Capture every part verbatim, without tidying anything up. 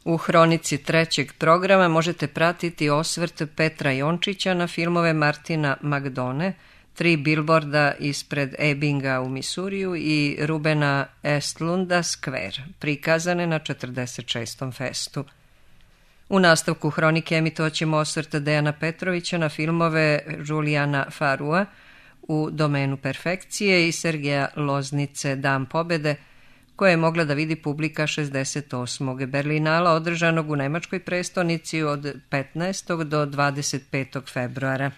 U hronici trećeg programa možete pratiti osvrt Petra Jončića na filmove Martina McDonagha, Tri bilborda ispred Ebbinga u Misuriju i Rubena Östlunda Square, prikazane na četrdeset šestom festu. U nastavku hronike emitovat ćemo osvrt Dejana Petrovića na filmove Julijana Farua U domenu perfekcije i Sergeja Loznice Dan pobede, koje je mogla da vidi publika šezdeset osmog Berlinala održanog u nemačkoj prestonici od petnaestog do dvadeset petog februara.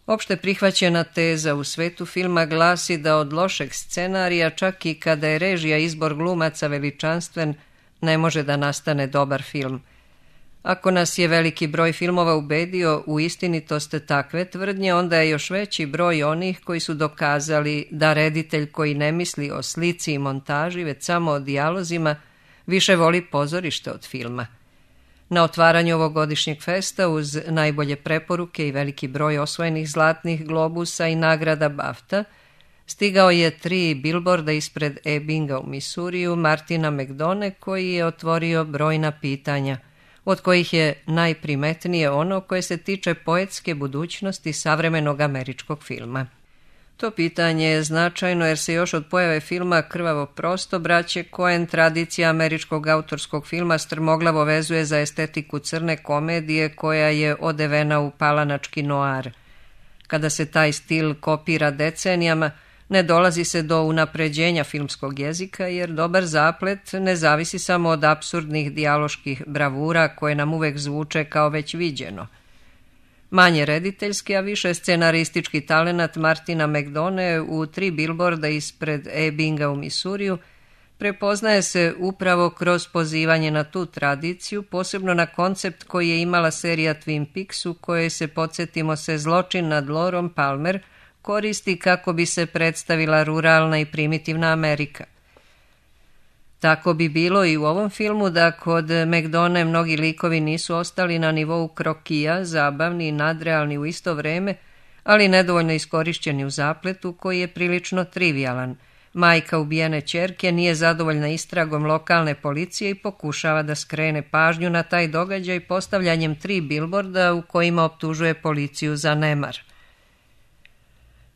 Opšte prihvaćena teza u svetu filma glasi da od lošeg scenarija, čak i kada je režija izbor glumaca veličanstven, ne može da nastane dobar film. Ako nas je veliki broj filmova ubedio u istinitost takve tvrdnje, onda je još veći broj onih koji su dokazali da reditelj koji ne misli o slici i montaži, već samo o dijalozima, više voli pozorište od filma. Na otvaranju ovogodišnjeg festa uz najbolje preporuke i veliki broj osvojenih zlatnih globusa i nagrada BAFTA stigao je Tri bilborda ispred Ebbinga u Misuriju Martina McDonagha, koji je otvorio brojna pitanja, od kojih je najprimetnije ono koje se tiče poetske budućnosti savremenog američkog filma. To pitanje je značajno jer se još od pojave filma Krvavo prosto braće Coen tradicija američkog autorskog filma strmoglavo vezuje za estetiku crne komedije koja je odevena u palanački noir. Kada se taj stil kopira decenijama, ne dolazi se do unapređenja filmskog jezika jer dobar zaplet ne zavisi samo od apsurdnih dijaloških bravura koje nam uvek zvuče kao već viđeno. Manje rediteljski, a više scenaristički talenat Martina McDonagha u Tri bilborda ispred Ebbinga u Misuriju prepoznaje se upravo kroz pozivanje na tu tradiciju, posebno na koncept koji je imala serija Twin Peaks u kojoj se, podsjetimo se, zločin nad Laurom Palmer koristi kako bi se predstavila ruralna i primitivna Amerika. Tako bi bilo i u ovom filmu da kod McDonagha mnogi likovi nisu ostali na nivou krokija, zabavni i nadrealni u isto vreme, ali nedovoljno iskorišćeni u zapletu koji je prilično trivialan. Majka ubijene ćerke nije zadovoljna istragom lokalne policije i pokušava da skrene pažnju na taj događaj postavljanjem tri bilborda u kojima optužuje policiju za nemar.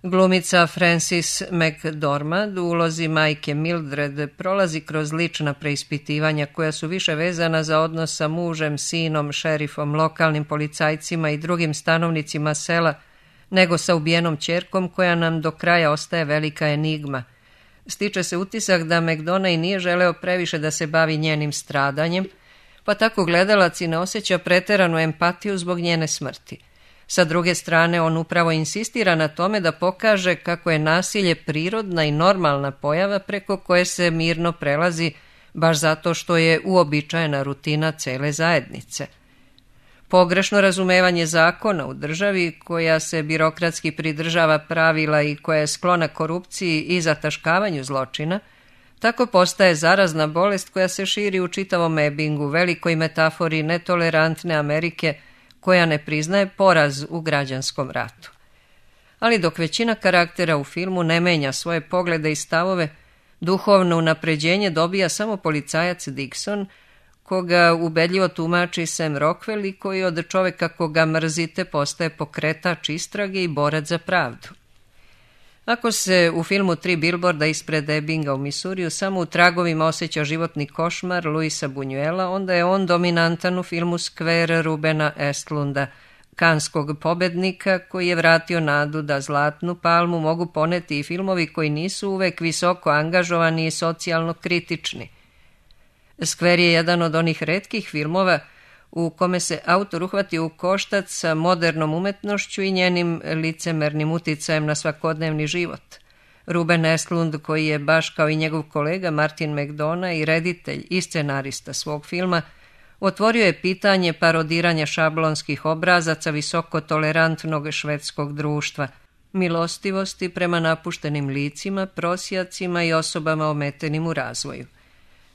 Glumica Frances McDormand u ulozi majke Mildred prolazi kroz lična preispitivanja koja su više vezana za odnos sa mužem, sinom, šerifom, lokalnim policajcima i drugim stanovnicima sela, nego sa ubijenom ćerkom koja nam do kraja ostaje velika enigma. Stiče se utisak da McDonagh nije želeo previše da se bavi njenim stradanjem, pa tako gledalac i ne osjeća preteranu empatiju zbog njene smrti. Sa druge strane, on upravo insistira na tome da pokaže kako je nasilje prirodna i normalna pojava preko koje se mirno prelazi baš zato što je uobičajena rutina cele zajednice. Pogrešno razumevanje zakona u državi koja se birokratski pridržava pravila i koja je sklona korupciji i zataškavanju zločina, tako postaje zarazna bolest koja se širi u čitavom Ebbingu, velikoj metafori netolerantne Amerike koja ne priznaje poraz u građanskom ratu. Ali dok većina karaktera u filmu ne menja svoje poglede i stavove, duhovno unapređenje dobija samo policajac Dixon, koga ubedljivo tumači Sam Rockwell i koji od čoveka koga mrzite postaje pokretač istrage i borac za pravdu. Ako se u filmu Tri bilborda ispred Ebbinga u Misuriju samo u tragovima osjeća životni košmar Luisa Buñuela, onda je on dominantan u filmu Square Rubena Östlunda, kanskog pobednika koji je vratio nadu da zlatnu palmu mogu poneti i filmovi koji nisu uvek visoko angažovani i socijalno kritični. Square je jedan od onih retkih filmova u kome se autor uhvati u koštac sa modernom umetnošću i njenim licemernim uticajem na svakodnevni život. Ruben Östlund, koji je baš kao i njegov kolega Martin McDonagh i reditelj i scenarista svog filma, otvorio je pitanje parodiranja šablonskih obrazaca visoko tolerantnog švedskog društva, milostivosti prema napuštenim licima, prosjacima i osobama ometenim u razvoju.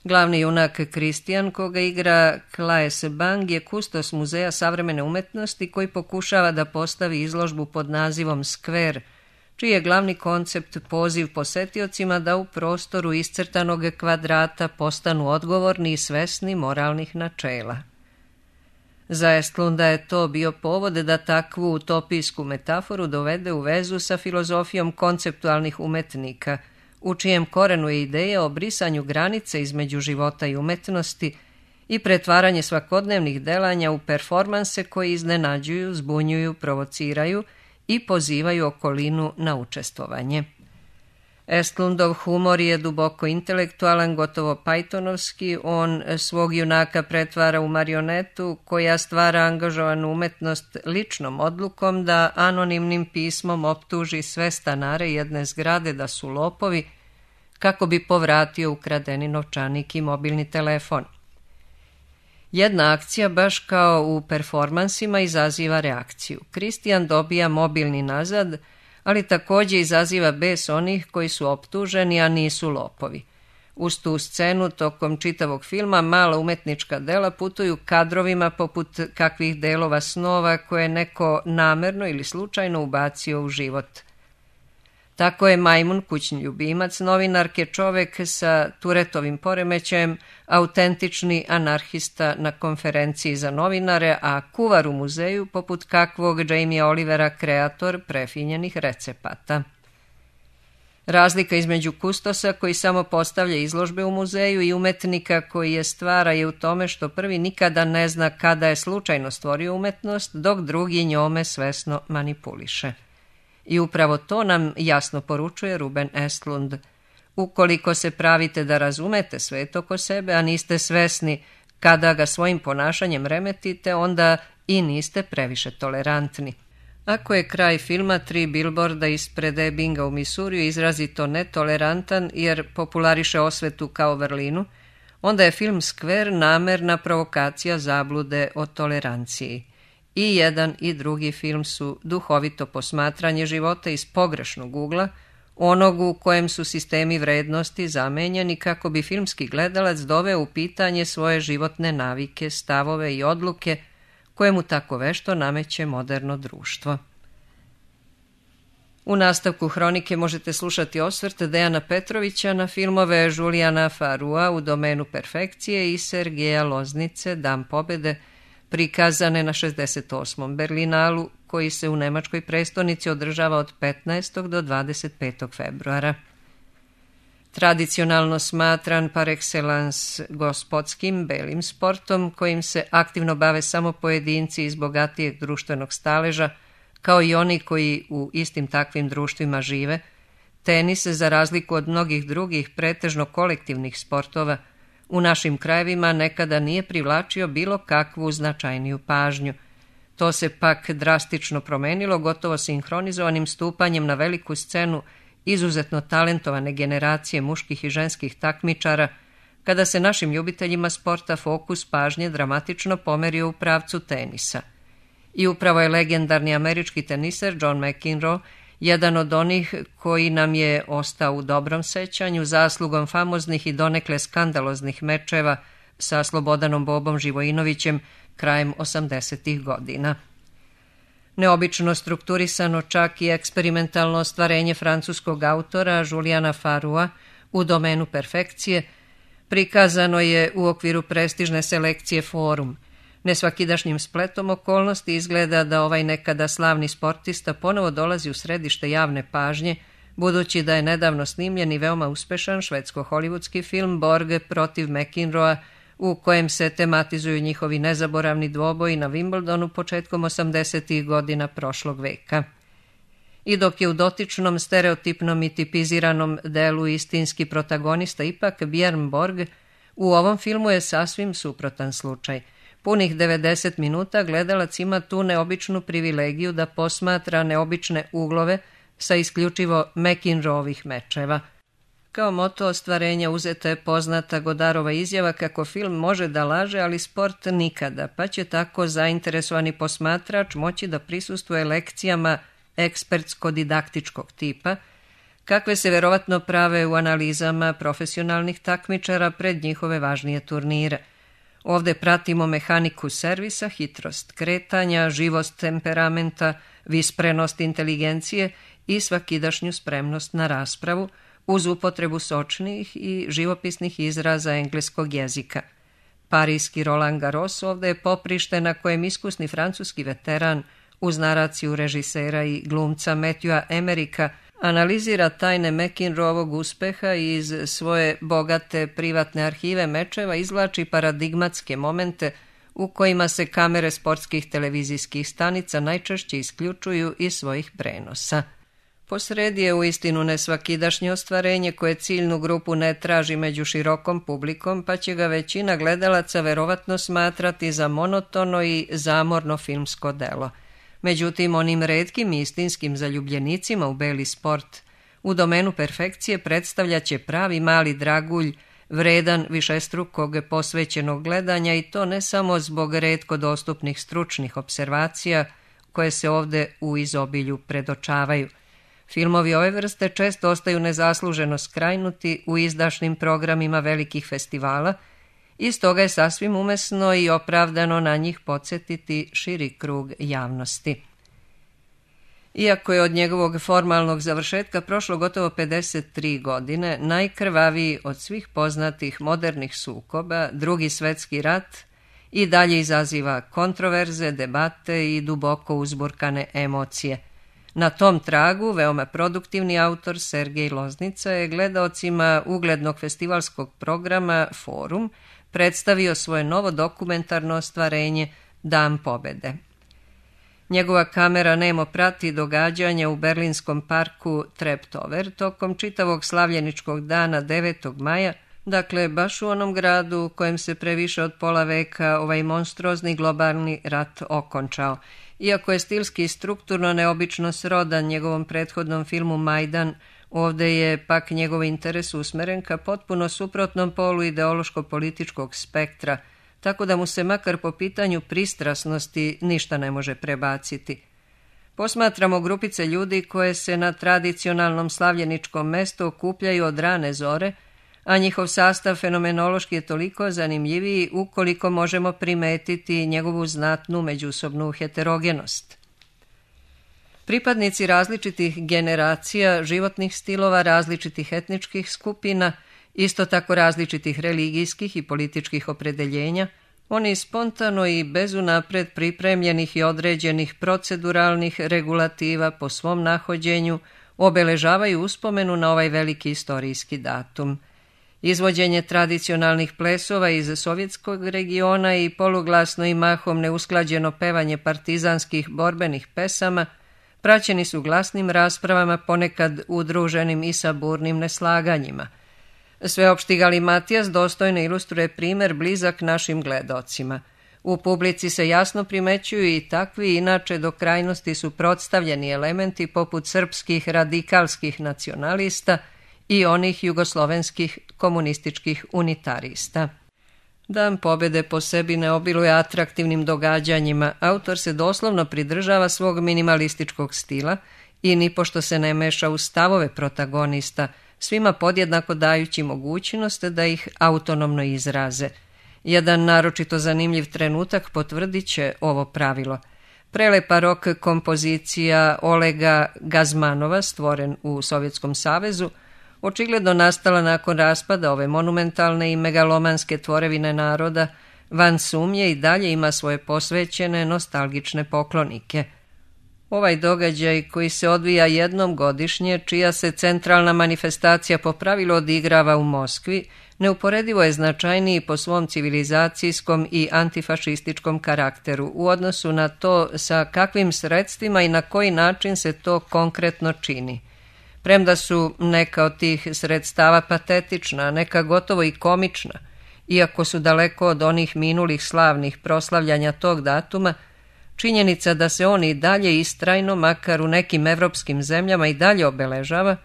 Glavni junak Kristijan, koga igra Claes Bang, je kustos muzeja savremene umetnosti koji pokušava da postavi izložbu pod nazivom Square, čiji je glavni koncept poziv posetiocima da u prostoru iscrtanog kvadrata postanu odgovorni i svesni moralnih načela. Za Estlunda je to bio povod da takvu utopijsku metaforu dovede u vezu sa filozofijom konceptualnih umetnika, u čijem korenu je ideja o brisanju granice između života i umetnosti i pretvaranje svakodnevnih delanja u performanse koji iznenađuju, zbunjuju, provociraju i pozivaju okolinu na učestvovanje. Estlundov humor je duboko intelektualan, gotovo Pythonovski. On svog junaka pretvara u marionetu koja stvara angažovanu umetnost ličnom odlukom da anonimnim pismom optuži sve stanare jedne zgrade da su lopovi kako bi povratio ukradeni novčanik i mobilni telefon. Jedna akcija, baš kao u performansima, izaziva reakciju. Kristijan dobija mobilni nazad, ali također izaziva bes onih koji su optuženi, a nisu lopovi. Uz tu scenu, tokom čitavog filma, mala umetnička dela putuju kadrovima poput kakvih delova snova koje neko namerno ili slučajno ubacio u život. Tako je Majmun, kućni ljubimac novinarke, čovek sa Turetovim poremećajem, autentični anarhista na konferenciji za novinare, a kuvar u muzeju poput kakvog Jamie Olivera, kreator prefinjenih recepata. Razlika između kustosa koji samo postavlja izložbe u muzeju i umetnika koji je stvara je u tome što prvi nikada ne zna kada je slučajno stvorio umetnost, dok drugi njome svesno manipuliše. I upravo to nam jasno poručuje Ruben Estlund. Ukoliko se pravite da razumete svet oko sebe, a niste svesni kada ga svojim ponašanjem remetite, onda i niste previše tolerantni. Ako je kraj filma Tri bilborda ispred Ebbinga u Misuriju izrazito netolerantan jer populariše osvetu kao vrlinu, onda je film Skver namerna provokacija zablude o toleranciji. I jedan i drugi film su duhovito posmatranje života iz pogrešnog ugla, onog u kojem su sistemi vrednosti zamenjeni kako bi filmski gledalac doveo u pitanje svoje životne navike, stavove i odluke koje mu tako vešto nameće moderno društvo. U nastavku hronike možete slušati osvrt Dejana Petrovića na filmove Julijana Farua U domenu perfekcije i Sergeja Loznice Dan pobede, prikazane na šezdeset osmom Berlinalu, koji se u nemačkoj prestonici održava od petnaestog do dvadeset petog februara. Tradicionalno smatran par excellence gospodskim belim sportom, kojim se aktivno bave samo pojedinci iz bogatijeg društvenog staleža, kao i oni koji u istim takvim društvima žive, tenis, za razliku od mnogih drugih pretežno kolektivnih sportova, u našim krajevima nekada nije privlačio bilo kakvu značajniju pažnju. To se pak drastično promenilo gotovo sinhronizovanim stupanjem na veliku scenu izuzetno talentovane generacije muških i ženskih takmičara, kada se našim ljubiteljima sporta fokus pažnje dramatično pomerio u pravcu tenisa. I upravo je legendarni američki teniser John McEnroe jedan od onih koji nam je ostao u dobrom sećanju zaslugom famoznih i donekle skandaloznih mečeva sa Slobodanom Bobom Živojinovićem krajem osamdesetih godina. Neobično strukturisano, čak i eksperimentalno ostvarenje francuskog autora Julijana Farua U domenu perfekcije prikazano je u okviru prestižne selekcije Forum. Nesvakidašnjim spletom okolnosti izgleda da ovaj nekada slavni sportista ponovo dolazi u središte javne pažnje, budući da je nedavno snimljen i veoma uspešan švedsko-hollywoodski film Borg protiv McEnroea, u kojem se tematizuju njihovi nezaboravni dvoboji na Wimbledonu početkom osamdesetih godina prošlog veka. I dok je u dotičnom, stereotipnom i tipiziranom delu istinski protagonista ipak Björn Borg, u ovom filmu je sasvim suprotan slučaj. Punih devedeset minuta gledalac ima tu neobičnu privilegiju da posmatra neobične uglove sa isključivo McEnroeovih mečeva. Kao moto ostvarenja uzeta je poznata Godarova izjava kako film može da laže, ali sport nikada, pa će tako zainteresovani posmatrač moći da prisustvuje lekcijama ekspertsko-didaktičkog tipa, kakve se verovatno prave u analizama profesionalnih takmičara pred njihove važnije turnire. Ovde pratimo mehaniku servisa, hitrost kretanja, živost temperamenta, visprenost inteligencije i svakidašnju spremnost na raspravu uz upotrebu sočnih i živopisnih izraza engleskog jezika. Parijski Roland Garros ovde je poprište na kojem iskusni francuski veteran uz naraciju režisera i glumca Matthewa Emerika analizira tajne McEnroeovog uspeha i iz svoje bogate privatne arhive mečeva izvlači paradigmatske momente u kojima se kamere sportskih televizijskih stanica najčešće isključuju iz svojih prenosa. Posredi je uistinu nesvakidašnje ostvarenje koje ciljnu grupu ne traži među širokom publikom, pa će ga većina gledalaca verovatno smatrati za monotono i zamorno filmsko delo. Međutim, onim retkim i istinskim zaljubljenicima u beli sport u domenu perfekcije predstavljaće pravi mali dragulj, vredan višestrukog posvećenog gledanja i to ne samo zbog retko dostupnih stručnih observacija koje se ovde u izobilju predočavaju. Filmovi ove vrste često ostaju nezasluženo skrajnuti u izdašnim programima velikih festivala i stoga je sasvim umesno i opravdano na njih podsjetiti širi krug javnosti. Iako je od njegovog formalnog završetka prošlo gotovo pedeset tri godine, najkrvaviji od svih poznatih modernih sukoba, Drugi svetski rat, i dalje izaziva kontroverze, debate i duboko uzburkane emocije. Na tom tragu veoma produktivni autor Sergej Loznica je gledaocima uglednog festivalskog programa Forum predstavio svoje novo dokumentarno ostvarenje Dan pobede. Njegova kamera nemo prati događanja u berlinskom parku Treptower tokom čitavog slavljeničkog dana devetog maja, dakle baš u onom gradu u kojem se pre više od pola veka ovaj monstruozni globalni rat okončao. Iako je stilski i strukturno neobično srodan njegovom prethodnom filmu Majdan, ovde je pak njegov interes usmeren ka potpuno suprotnom polu ideološko-političkog spektra, tako da mu se makar po pitanju pristrasnosti ništa ne može prebaciti. Posmatramo grupice ljudi koje se na tradicionalnom slavljeničkom mestu okupljaju od rane zore, a njihov sastav fenomenološki je toliko zanimljiviji ukoliko možemo primetiti njegovu znatnu međusobnu heterogenost. Pripadnici različitih generacija, životnih stilova, različitih etničkih skupina, isto tako različitih religijskih i političkih opredeljenja, oni spontano i bez unapred pripremljenih i određenih proceduralnih regulativa po svom nahođenju obeležavaju uspomenu na ovaj veliki istorijski datum. Izvođenje tradicionalnih plesova iz sovjetskog regiona i poluglasno i mahom neusklađeno pevanje partizanskih borbenih pesama praćeni su glasnim raspravama, ponekad udruženim i sa burnim neslaganjima. Sveopšti galimatijas dostojno ilustruje primer blizak našim gledaocima. U publici se jasno primećuju i takvi inače do krajnosti suprotstavljeni elementi poput srpskih radikalskih nacionalista i onih jugoslovenskih komunističkih unitarista. Dan pobede po sebi ne obiluje atraktivnim događanjima, autor se doslovno pridržava svog minimalističkog stila i nipošto se ne meša u stavove protagonista, svima podjednako dajući mogućnost da ih autonomno izraze. Jedan naročito zanimljiv trenutak potvrdit će ovo pravilo. Prelepa rock kompozicija Olega Gazmanova, stvoren u Sovjetskom savezu, očigledno nastala nakon raspada ove monumentalne i megalomanske tvorevine naroda, van sumnje i dalje ima svoje posvećene nostalgične poklonike. Ovaj događaj koji se odvija jednom godišnje, čija se centralna manifestacija po pravilu odigrava u Moskvi, neuporedivo je značajniji po svom civilizacijskom i antifašističkom karakteru u odnosu na to sa kakvim sredstvima i na koji način se to konkretno čini. Premda su neka od tih sredstava patetična, neka gotovo i komična, iako su daleko od onih minulih slavnih proslavljanja tog datuma, činjenica da se on i dalje istrajno, makar u nekim evropskim zemljama i dalje obeležava,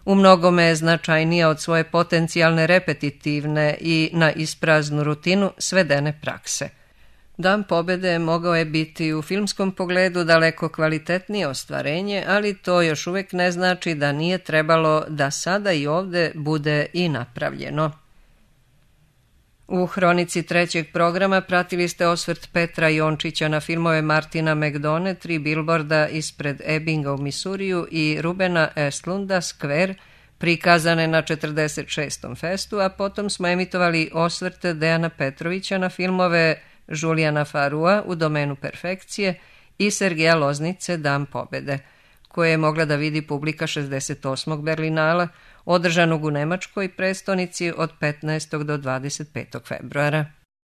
u mnogome je značajnija od svoje potencijalne repetitivne i na ispraznu rutinu svedene prakse. Dan pobede mogao je biti u filmskom pogledu daleko kvalitetnije ostvarenje, ali to još uvijek ne znači da nije trebalo da sada i ovde bude i napravljeno. U hronici trećeg programa pratili ste osvrt Petra Jončića na filmove Martina McDone, Tri bilborda ispred Ebbinga u Misuriju i Rubena Estlunda, Square, prikazane na četrdeset šestom festu, a potom smo emitovali osvrt Dejana Petrovića na filmove Julijana Farua U domenu perfekcije i Sergeja Loznice Dan pobede, koje je mogla da vidi publika šezdeset osmog Berlinala, održanog u Nemačkoj prestonici od petnaestog do dvadeset petog februara.